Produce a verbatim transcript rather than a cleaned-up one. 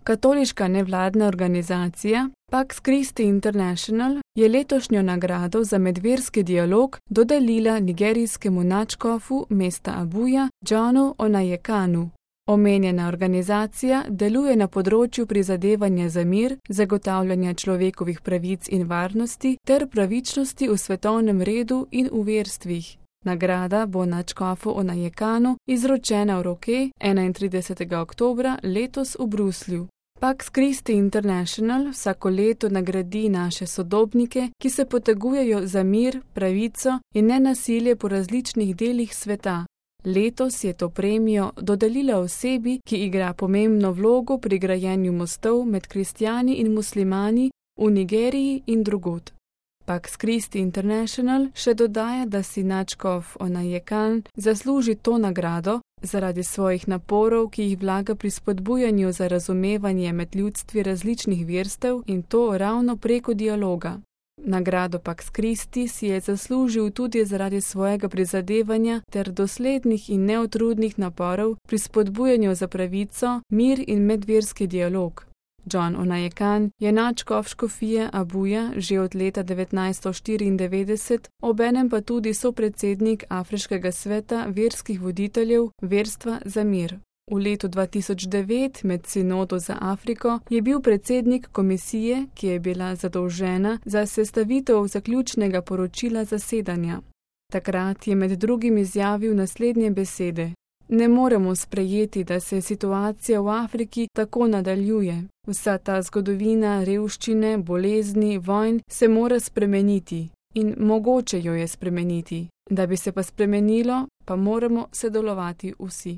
Katoliška nevladna organizacija Pax Christi International je letošnjo nagrado za medverski dialog dodelila nigerijskemu nadškofu mesta Abuja Johnu Onayekanu. Omenjena organizacija deluje na področju prizadevanja za mir, zagotavljanja človekovih pravic in varnosti ter pravičnosti v svetovnem redu in v verstvih. Nagrada bo nadškofu Onayekanu izročena v roke enaintridesetega oktobra letos v Bruslju. Pax Christi International vsako leto nagradi naše sodobnike, ki se potegujejo za mir, pravico in nenasilje po različnih delih sveta. Letos je to premijo dodelila osebi, ki igra pomembno vlogo pri grajenju mostov med kristjani in muslimani v Nigeriji in drugod. Pax Christi International še dodaja, da si nadškof Onayekan zasluži to nagrado zaradi svojih naporov, ki jih vlaga pri spodbujanju za razumevanje med ljudstvi različnih verstev in to ravno preko dialoga. Nagrado Pax Christi si je zaslužil tudi zaradi svojega prizadevanja ter doslednih in neutrudnih naporov pri spodbujanju za pravico, mir in medverski dialog. John Onayekan je nadškof škofije Abuja že od leta devetnajststo štiriindevetdeset, obenem pa tudi sopredsednik Afriškega sveta verskih voditeljev Verstva za mir. V letu dva tisoč devet med Sinodo za Afriko je bil predsednik komisije, ki je bila zadolžena za sestavitev zaključnega poročila zasedanja. Takrat je med drugim izjavil naslednje besede: Ne moremo sprejeti, da se situacija v Afriki tako nadaljuje. Vsa ta zgodovina revščine, bolezni, vojn se mora spremeniti in mogoče jo je spremeniti. Da bi se pa spremenilo, pa moramo sodelovati vsi.